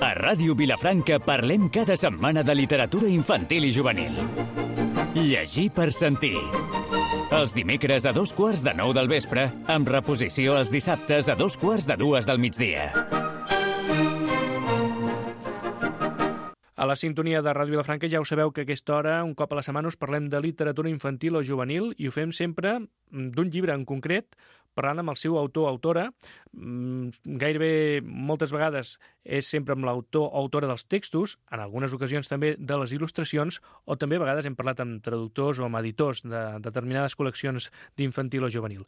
A Ràdio Vilafranca parlem cada setmana de literatura infantil i juvenil. Llegir per sentir. Els dimecres a 8:45 del vespre, amb reposició els dissabtes a 2:45 del migdia. A la sintonia de Ràdio Vilafranca ja ho sabeu que a aquesta hora, un cop a la setmana, us parlem de literatura infantil o juvenil i ho fem sempre d'un llibre en concret, parlant amb el seu autor o autora. Gairebé moltes vegades és sempre amb l'autor o autora dels textos, en algunes ocasions també de les il·lustracions, o també a vegades hem parlat amb traductors o amb editors de determinades col·leccions d'infantil o juvenil.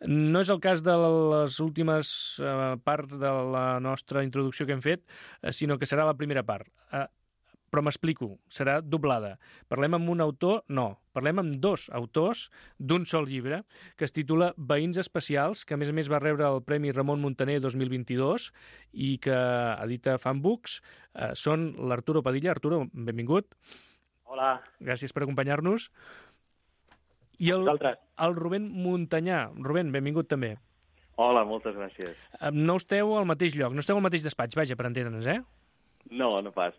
No és el cas de les últimes parts de la nostra introducció que hem fet, sinó que serà la primera part. Però m'explico, serà doblada. Parlem amb un autor? No. Parlem amb dos autors d'un sol llibre, que es titula Veïns especials, que a més va rebre el Premi Ramon Muntaner 2022 i que edita Fan Books. Són l'Arturo Padilla. Arturo, benvingut. Hola. Gràcies per acompanyar-nos. I el Rubén Montanyà. Rubén, benvingut també. Hola, moltes gràcies. No esteu al mateix lloc, no esteu al mateix despatx, vaja, per entendre'ns, eh? No pas.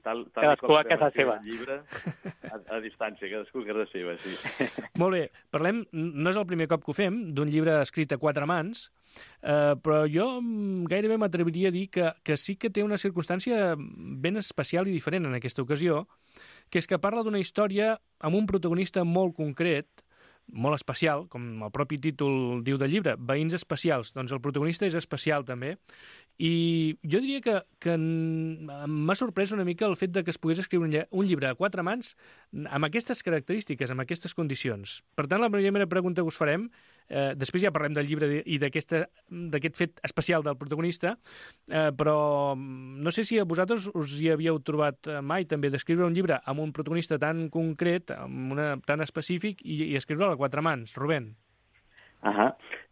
Cadascú a casa seva. Llibre, a distància, cadascú a casa seva, sí. Molt bé, parlem, no és el primer cop que ho fem, d'un llibre escrit a quatre mans, però jo gairebé m'atreviria a dir que sí que té una circumstància ben especial i diferent en aquesta ocasió, que és que parla d'una història amb un protagonista molt concret, molt especial, com el propi títol diu del llibre, Veïns especials. Doncs el protagonista és especial també, i jo diria que m'ha sorprès una mica el fet de que es pogués escriure un llibre a quatre mans amb aquestes característiques, amb aquestes condicions. Per tant, la primera pregunta que us farem, després ja parlem del llibre i d'aquest fet especial del protagonista, però no sé si a vosaltres us hi havíeu trobat mai també d'escriure un llibre amb un protagonista tan concret, tan específic, i escriure-lo a quatre mans. Rubén.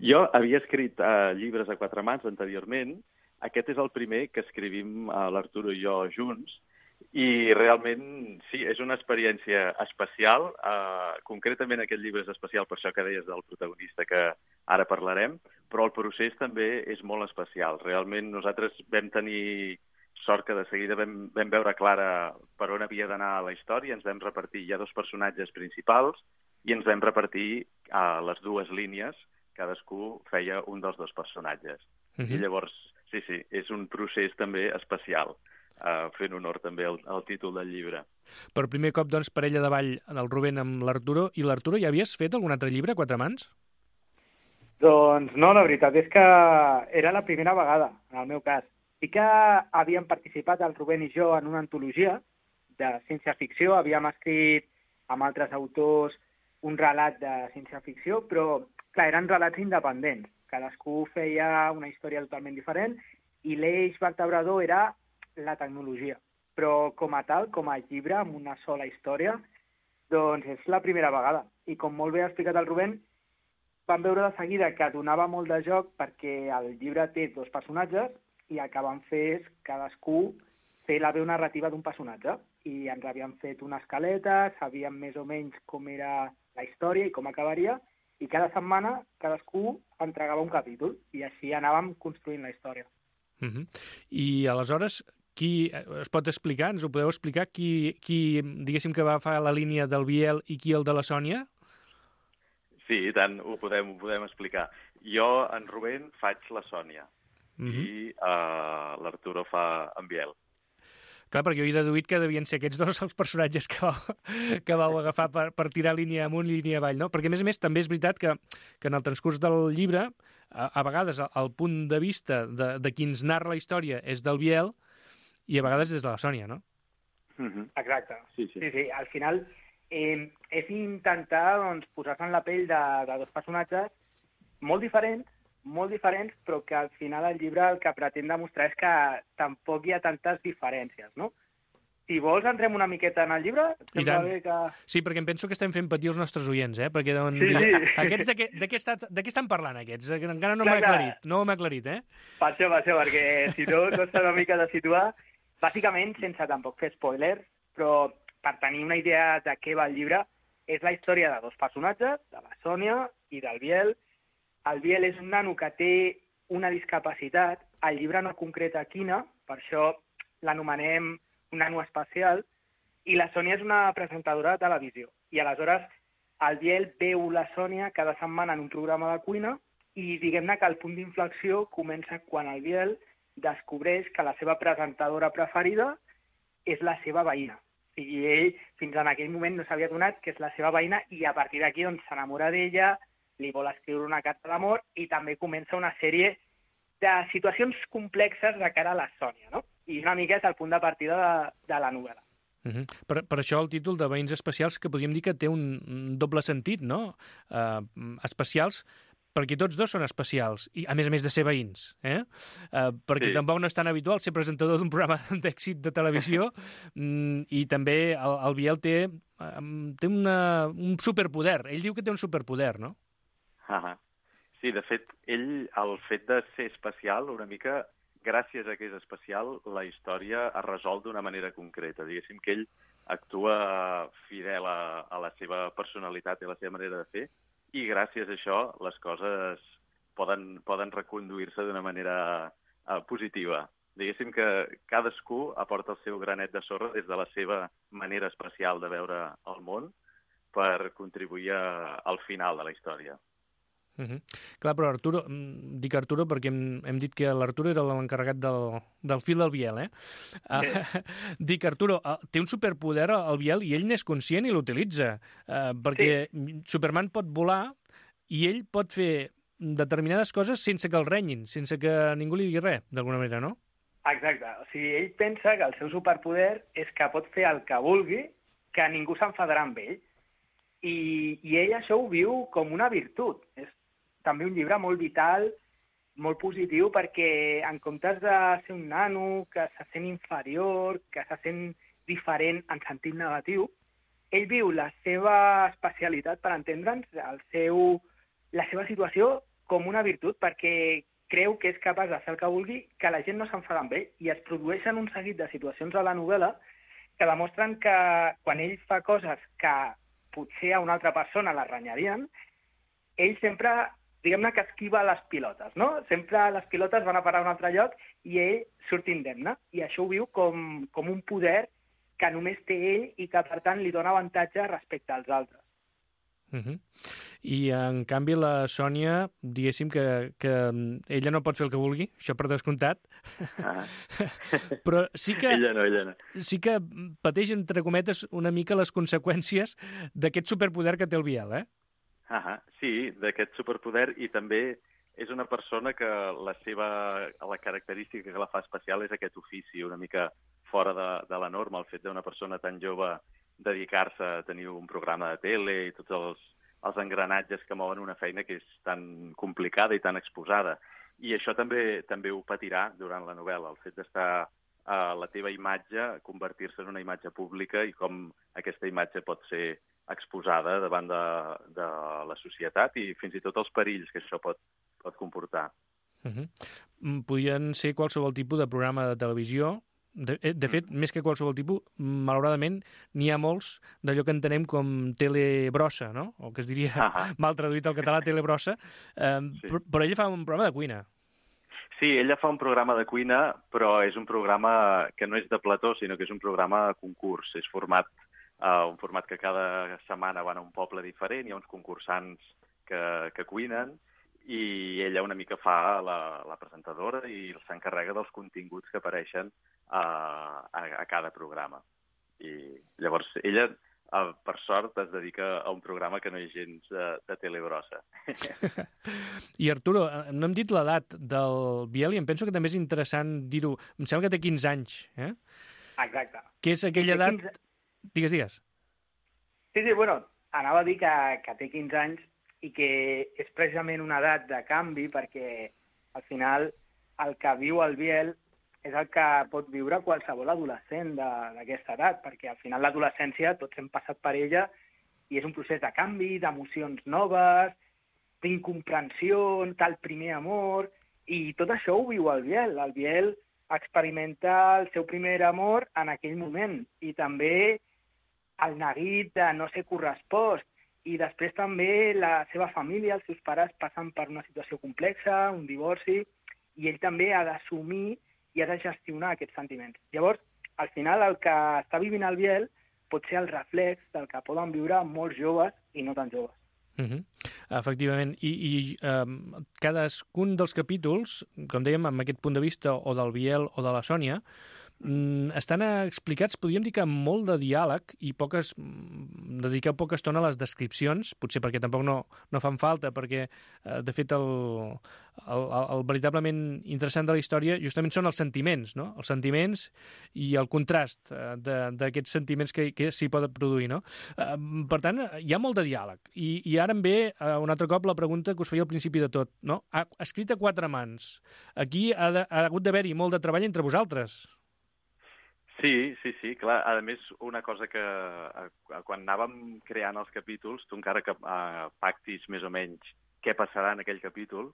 Jo havia escrit llibres a quatre mans anteriorment. Aquest és el primer que escrivim l'Arturo i jo junts, i realment, sí, és una experiència especial. Concretament aquest llibre és especial per això que deies del protagonista, que ara parlarem, però el procés també és molt especial. Realment nosaltres vam tenir sort que de seguida vam veure clara per on havia d'anar la història, ens vam repartir, hi ha dos personatges principals, i ens vam repartir les dues línies, cadascú feia un dels dos personatges. I llavors, sí, és un procés també especial, fent honor també al títol del llibre. Per primer cop, doncs, parella de ball del Rubén amb l'Arturo. I l'Arturo, ja havies fet algun altre llibre a quatre mans? Doncs no, la veritat és que era la primera vegada, en el meu cas. Sí que havíem participat, el Rubén i jo, en una antologia de ciència-ficció. Havíem escrit amb altres autors un relat de ciència-ficció, però, clar, eren relats independents. Cadascú feia una història totalment diferent i l'eix vertebrador era la tecnologia. Però com a tal, com a llibre, amb una sola història, doncs és la primera vegada. I com molt bé ha explicat el Rubén, vam veure de seguida que donava molt de joc perquè el llibre té dos personatges i el que vam fer és cadascú fer la veu narrativa d'un personatge. I ens havíem fet una escaleta, sabíem més o menys com era la història i com acabaria, i cada setmana cadascú entregava un capítol i així anàvem construint la història. I aleshores, qui es pot explicar, ens ho podeu explicar, qui diguéssim que va fer la línia del Biel i qui el de la Sònia? Sí, i tant, ho podem explicar. Jo, en Rubén, faig la Sònia i l'Arturo fa en Biel. Clar, perquè jo he deduït que devien ser aquests dos els personatges que vau agafar per tirar línia amunt i línia avall, no? Perquè, a més, també és veritat que en el transcurs del llibre, a vegades el punt de vista de qui ens narra la història és del Biel i a vegades és de la Sònia, no? Exacte. Sí. Al final és intentar posar-se en la pell de dos personatges molt diferents, però que al final el llibre el que pretén demostrar és que tampoc hi ha tantes diferències, no? Si vols, entrem una miqueta en el llibre. I tant. Sí, perquè em penso que estem fent patir els nostres oients, perquè deuen dir, aquests de què estan parlant, aquests? Encara no m'ha aclarit, eh? Per això, perquè si no costa una mica de situar. Bàsicament, sense tampoc fer spoilers, però per tenir una idea de què va el llibre, és la història de dos personatges, de la Sònia i del Biel. El Biel és un nano que té una discapacitat. El llibre no concreta quina, per això l'anomenem un nano especial, i la Sònia és una presentadora de televisió. I aleshores el Biel veu la Sònia cada setmana en un programa de cuina i diguem-ne que el punt d'inflexió comença quan el Biel descobreix que la seva presentadora preferida és la seva veïna. O sigui, ell fins en aquell moment no s'havia adonat que és la seva veïna i a partir d'aquí doncs, s'enamora d'ella, li vol escriure una carta d'amor i també comença una sèrie de situacions complexes de cara a la Sònia, no? I una mica és el punt de partida de la novel·la. Per això el títol de Veïns Especials, que podríem dir que té un doble sentit, no? Especials, perquè tots dos són especials, i a més de ser veïns, perquè tampoc no és tan habitual ser presentador d'un programa d'èxit de televisió, i també el Biel té un superpoder. Ell diu que té un superpoder, no? Sí, de fet, ell, el fet de ser especial, una mica, gràcies a que és especial, la història es resol d'una manera concreta. Diguéssim que ell actua fidel a la seva personalitat i a la seva manera de fer, i gràcies a això les coses poden reconduir-se d'una manera positiva. Diguéssim que cadascú aporta el seu granet de sorra des de la seva manera especial de veure el món per contribuir al final de la història. Clar, però Arturo, dic Arturo perquè hem dit que l'Arturo era l'encarregat del fil del Biel, Dic, Arturo, té un superpoder el Biel i ell n'és conscient i l'utilitza, perquè Superman pot volar i ell pot fer determinades coses sense que el renyin, sense que ningú li digui res, d'alguna manera, no? Exacte. O sigui, ell pensa que el seu superpoder és que pot fer el que vulgui, que ningú s'enfadarà amb ell. I ell això ho viu com una virtut. És també un llibre molt vital, molt positiu, perquè en comptes de ser un nano que se sent inferior, que se sent diferent en sentit negatiu, ell viu la seva especialitat, per entendre'ns, la seva situació com una virtut, perquè creu que és capaç de fer el que vulgui, que la gent no s'enfada amb ell, i es produeixen un seguit de situacions a la novel·la que demostren que quan ell fa coses que potser a una altra persona la renyarien, ell sempre, diguem-ne que esquiva les pilotes, no? Sempre les pilotes van a parar a un altre lloc i ell surt indemne. I això ho viu com un poder que només té ell i que, per tant, li dona avantatge respecte als altres. I, en canvi, la Sònia, diguéssim que ella no pot fer el que vulgui, això per descomptat, però sí que... Ella no. Sí que pateix, entre cometes, una mica les conseqüències d'aquest superpoder que té el Biel, Sí, d'aquest superpoder, i també és una persona que la característica que la fa especial és aquest ofici una mica fora de la norma, el fet d'una persona tan jove dedicar-se a tenir un programa de tele i tots els engranatges que mouen una feina que és tan complicada i tan exposada. I això també ho patirà durant la novel·la, el fet d'estar a la teva imatge, convertir-se en una imatge pública i com aquesta imatge pot ser exposada davant de la societat i fins i tot els perills que això pot comportar. Podien ser qualsevol tipus de programa de televisió. De fet, més que qualsevol tipus, malauradament, n'hi ha molts d'allò que entenem com telebrossa, no? O que es diria, mal traduït al català, telebrossa. Però ella fa un programa de cuina. Sí, ella fa un programa de cuina, però és un programa que no és de plató, sinó que és un programa de concurs. És un format que cada setmana van a un poble diferent, hi ha uns concursants que cuinen, i ella una mica fa la presentadora i s'encarrega dels continguts que apareixen a cada programa. I llavors ella, per sort, es dedica a un programa que no és gens de telebrossa. I Arturo, no hem dit l'edat del Biel i em penso que també és interessant dir-ho. Em sembla que té 15 anys, Exacte. Que és aquella edat... Digues. Sí, bueno, anava a dir que té 15 anys i que és precisament una edat de canvi perquè al final el que viu el Biel és el que pot viure qualsevol adolescent d'aquesta edat, perquè al final l'adolescència tots hem passat per ella i és un procés de canvi, d'emocions noves, d'incomprensió, tal primer amor, i tot això ho viu el Biel. El Biel experimenta el seu primer amor en aquell moment i també el neguit de no ser correspost. i després també la seva família, els seus pares passen per una situació complexa, un divorci, i ell també ha d'assumir i ha de gestionar aquests sentiments. Llavors, al final, el que està vivint el Biel pot ser el reflex del que poden viure molts joves i no tan joves. Efectivament, i cadascun dels capítols, com dèiem, amb aquest punt de vista o del Biel o de la Sònia, estan explicats, podríem dir que amb molt de diàleg i dedicar poca estona a les descripcions, potser perquè tampoc no fan falta, perquè de fet el veritablement interessant de la història justament són els sentiments, no? Els sentiments i el contrast d'aquests sentiments que s'hi poden produir, no? Per tant, hi ha molt de diàleg. I ara em ve un altre cop la pregunta que us feia al principi de tot, no? Escrit a 4 mans. Aquí ha hagut d'haver-hi molt de treball entre vosaltres. Sí, clar. A més, una cosa que quan anàvem creant els capítols, tu encara que pactis més o menys què passarà en aquell capítol,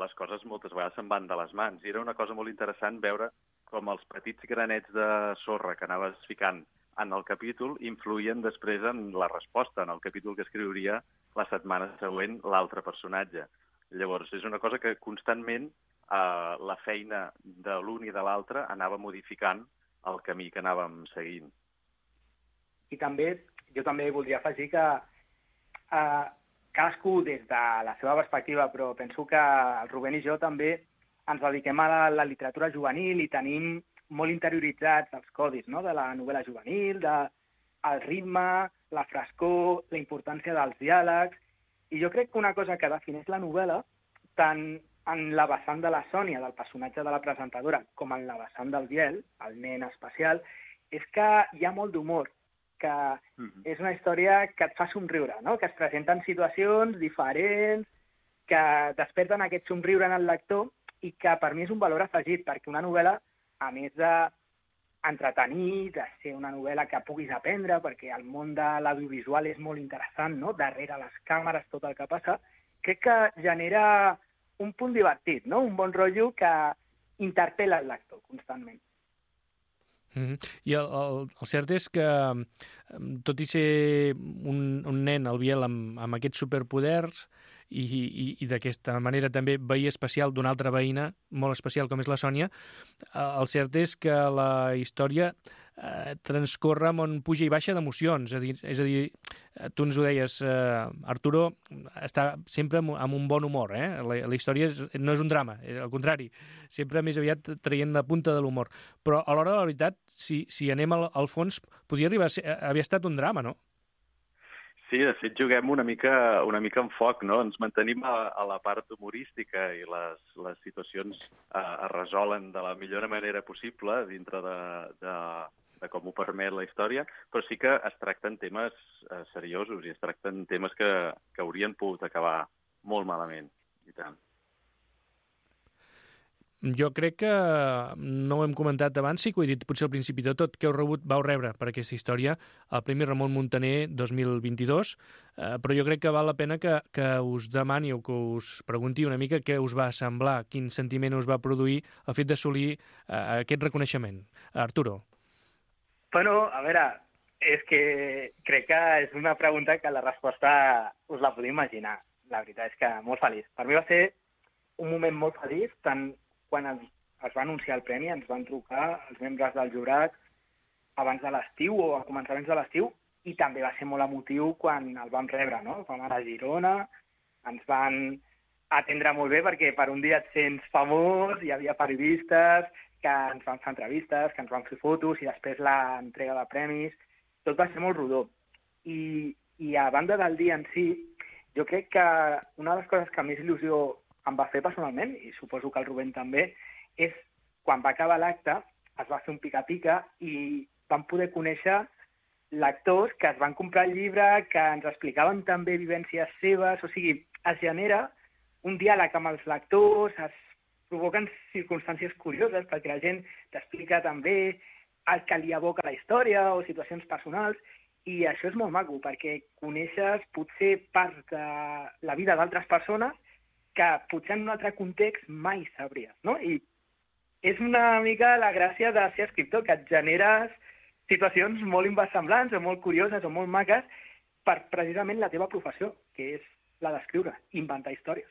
les coses moltes vegades se'n van de les mans. I era una cosa molt interessant veure com els petits granets de sorra que anaves ficant en el capítol influïen després en la resposta, en el capítol que escriuria la setmana següent l'altre personatge. Llavors, és una cosa que constantment la feina de l'un i de l'altre anava modificant el camí que anàvem seguint. I jo també voldria afegir que cadascú des de la seva perspectiva, però penso que el Rubén i jo també ens dediquem a la literatura juvenil i tenim molt interioritzats els codis, no?, de la novel·la juvenil, el ritme, la frescor, la importància dels diàlegs. I jo crec que una cosa que defineix la novel·la, tant en la vessant de la Sònia, del personatge de la presentadora, com en la vessant del Biel, el nen especial, és que hi ha molt d'humor, que és una història que et fa somriure, no?, que es presenten situacions diferents, que desperten aquest somriure en el lector i que per mi és un valor afegit, perquè una novel·la, a més d'entretenir, de ser una novel·la que puguis aprendre, perquè el món de l'audiovisual és molt interessant, no?, darrere les càmeres, tot el que passa, crec que genera un punt divertit, no?, un bon rotllo que interpel·la el lector constantment. I el cert és que, tot i ser un nen, el Biel, amb aquests superpoders i d'aquesta manera també veí especial d'una altra veïna molt especial com és la Sònia, el cert és que la història transcorre amb un puja i baixa d'emocions. És a dir, tu ens ho deies, Arturo està sempre amb un bon humor. La història no és un drama, al contrari, sempre més aviat traient la punta de l'humor. Però a l'hora de la veritat, si anem al fons, podria arribar a haver estat un drama, no? Sí, de fet, juguem una mica en foc, no? Ens mantenim a la part humorística i les situacions es resolen de la millor manera possible dintre de com ho permet la història, però sí que es tracten temes seriosos i es tracten temes que haurien pogut acabar molt malament, i tant. Jo crec que no ho hem comentat abans, sí que ho he dit potser al principi de tot, que vau rebre per aquesta història el Premi Ramon Muntaner 2022, però jo crec que val la pena que us demani o que us pregunti una mica què us va semblar, quin sentiment us va produir el fet d'assolir aquest reconeixement. Arturo. Bueno, a veure, és que crec que és una pregunta que la resposta us la podeu imaginar. La veritat és que molt feliç. Per mi va ser un moment molt feliç, tant quan es va anunciar el premi, ens van trucar els membres del jurat abans de l'estiu o a començaments de l'estiu, i també va ser molt emotiu quan el vam rebre, no? Vam anar a Girona, ens van atendre molt bé perquè per un dia et sents famós, hi havia periodistes que ens van fer entrevistes, que ens van fer fotos i després l'entrega de premis. Tot va ser molt rodó. I a banda del dia en si, jo crec que una de les coses que més il·lusió em va fer personalment, i suposo que el Rubén també, és quan va acabar l'acte, es va fer un pica-pica i vam poder conèixer lectors que es van comprar el llibre, que ens explicaven també vivències seves, o sigui, es genera un diàleg amb els lectors, es provoquen circumstàncies curioses perquè la gent t'explica també el que li evoca la història o situacions personals, i això és molt maco perquè coneixes potser part de la vida d'altres persones que potser en un altre context mai sabries, no? I és una mica la gràcia de ser escriptor, que et generes situacions molt inversemblants o molt curioses o molt maques per precisament la teva professió, que és la d'escriure, inventar històries.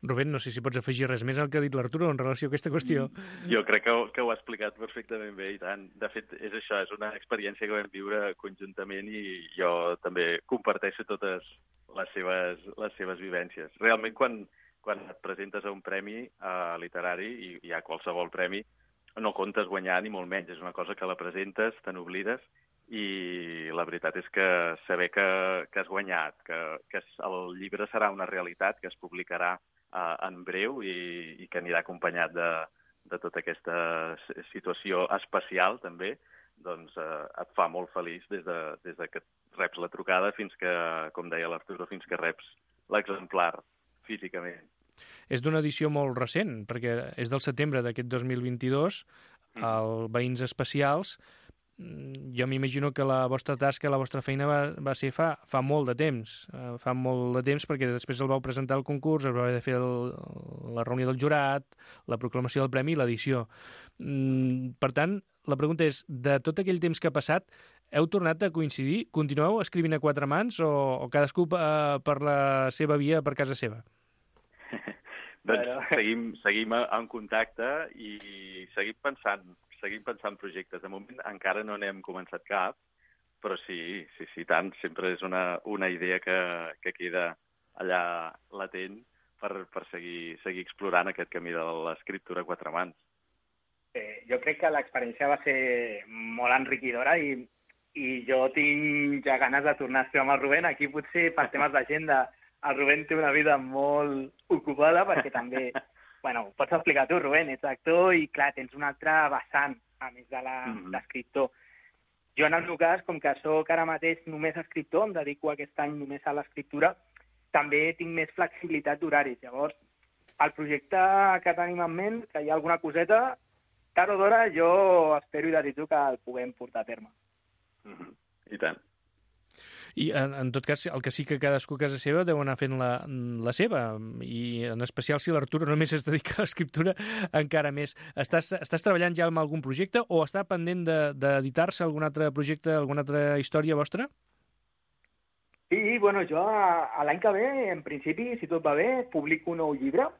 Rubén, no sé si pots afegir res més al que ha dit l'Arturo en relació a aquesta qüestió. Jo crec que ho ha explicat perfectament bé, i tant. De fet, és això, és una experiència que vam viure conjuntament i jo també comparteixo totes les seves vivències. Realment, quan et presentes a un premi literari, i a qualsevol premi, no comptes guanyar ni molt menys. És una cosa que la presentes, te n'oblides, i la veritat és que saber que has guanyat, que el llibre serà una realitat, que es publicarà en breu i que anirà acompanyat de tota aquesta situació especial, també, doncs et fa molt feliç des de que reps la trucada fins que, com deia l'Arturo, fins que reps l'exemplar físicament. És d'una edició molt recent, perquè és del setembre d'aquest 2022, el Veïns Especials. Jo m'imagino que la vostra tasca, la vostra feina va ser fa molt de temps. Fa molt de temps perquè després el vau presentar al concurs, es va haver de fer la reunió del jurat, la proclamació del premi i l'edició. Per tant, la pregunta és, de tot aquell temps que ha passat, heu tornat a coincidir? Continueu escrivint a quatre mans o cadascú per la seva via, per casa seva? Doncs seguim en contacte i seguim pensant projectes. De moment encara no n'hem començat cap, però sí, tant. Sempre és una idea que queda allà latent per seguir explorant aquest camí de l'escriptura a quatre mans. Jo crec que l'experiència va ser molt enriquidora i jo tinc ja ganes de tornar a escriure amb el Rubén. Aquí potser per temes d'agenda el Rubén té una vida molt ocupada perquè també, bueno, pots explicar tu, Rubén, ets actor i clar, tens un altre vessant, a més de l'escriptor. Jo en el meu cas, com que soc ara mateix només escriptor, em dedico aquest any només a l'escriptura, també tinc més flexibilitat d'horaris. Llavors, el projecte que tenim en ment, que hi ha alguna coseta, tard o d'hora jo espero i desitjo que el puguem portar a terme. I tant. I en tot cas, el que sí que cadascú a casa seva deu anar fent la seva, i en especial si l'Arturo només es dedica a l'escriptura, encara més. Estàs treballant ja en algun projecte o està pendent d'editar-se algun altre projecte, alguna altra història vostra? Sí, bueno, jo l'any que ve, en principi, si tot va bé, publico un nou llibre,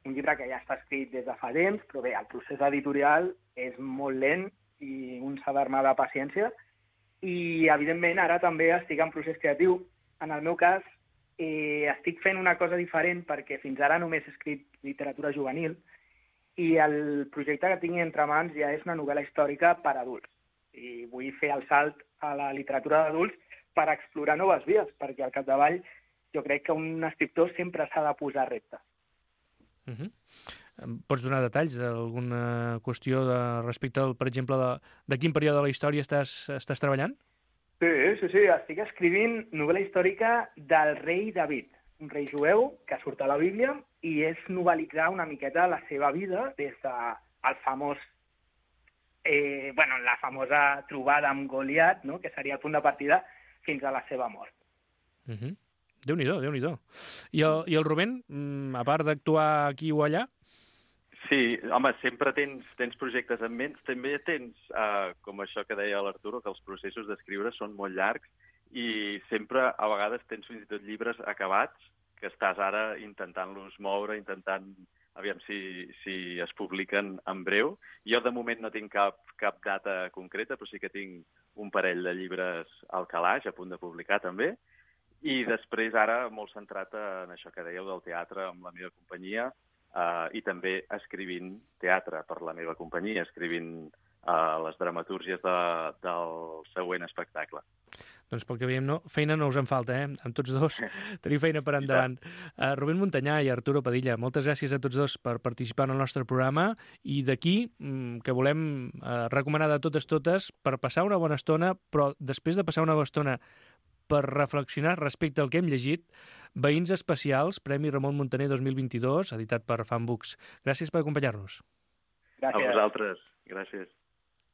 un llibre que ja està escrit des de fa temps, però bé, el procés editorial és molt lent i un s'ha d'armar de paciència. I, evidentment, ara també estic en procés creatiu. En el meu cas, estic fent una cosa diferent perquè fins ara només he escrit literatura juvenil i el projecte que tinc entre mans ja és una novel·la històrica per a adults. I vull fer el salt a la literatura d'adults per explorar noves vies, perquè al capdavall jo crec que un escriptor sempre s'ha de posar reptes. Pots donar detalls d'alguna qüestió respecte, per exemple, de quin període de la història estàs treballant? Sí, estic escrivint novel·la històrica del rei David, un rei jueu que surt a la Bíblia i és novel·litzar una miqueta la seva vida des del famós, la famosa trobada amb Goliat, no?, que seria el punt de partida, fins a la seva mort. Déu-n'hi-do, Déu-n'hi-do. I el Rubén, a part d'actuar aquí o allà? Sí, home, sempre tens projectes en ment. També tens, com això que deia l'Arturo, que els processos d'escriure són molt llargs i sempre, a vegades, tens fins i tot llibres acabats que estàs ara intentant-los moure, intentant aviam si es publiquen en breu. Jo, de moment, no tinc cap data concreta, però sí que tinc un parell de llibres al calaix, a punt de publicar, també. I després, ara, molt centrat en això que dèieu del teatre amb la meva companyia, i també escrivint teatre per la meva companyia, escrivint les dramatúrgies del següent espectacle. Doncs pel que veiem, feina no us en falta, amb tots dos. Teniu feina per endavant. Rubén Montanyà i Arturo Padilla, moltes gràcies a tots dos per participar en el nostre programa i d'aquí que volem recomanar de totes per passar una bona estona, però després de passar una bona estona per reflexionar respecte al que hem llegit, Veïns Especials, Premi Ramon Muntaner 2022, editat per Fanbooks. Gràcies per acompanyar-nos. Gràcies. A vosaltres. Gràcies.